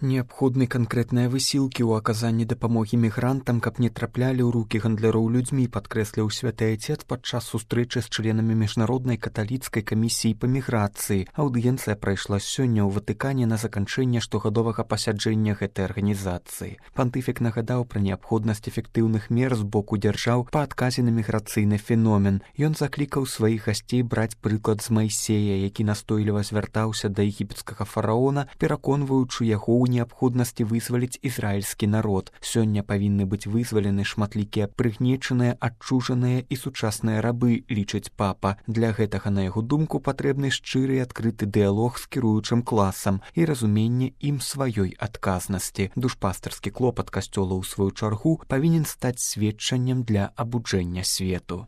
Неабходны канкрэтныя высілкі ў аказанні дапамогі мігрантам, каб не траплялі ў рукі гандляроў людзьмі, падкрэсліў святы айцец падчас сустрэчы з членамі міжнароднай каталіцкай камісіі па міграцыі. Аўдыенцыя прайшла сёння ў Ватыкане на заканчэнне штогадовага пасяджэння гэтай арганізацыі. Пантыфік нагадаў пра неабходнасць эфектыўных мер з боку дзяржаў па адказе на міграцыйны феномен. Ён заклікаў сваіх гасцей браць прыклад з Майсея, які настойліва звяртаўся да егіпецкага фараона, пераконваючы яго ў неабходнасці вызваліць ізраільскі народ. Сёння павінны быць вызвалены шматлікія прыгнечаныя, адчужаныя і сучасныя рабы, лічыць папа. Для гэтага, на яго думку, патрэбны шчыры і адкрыты дыялог з кіруючым класам і разуменне ім сваёй адказнасці. Душпастарскі клопат касцёла ў сваю чаргу павінен стаць сведчаннем для абуджэння свету.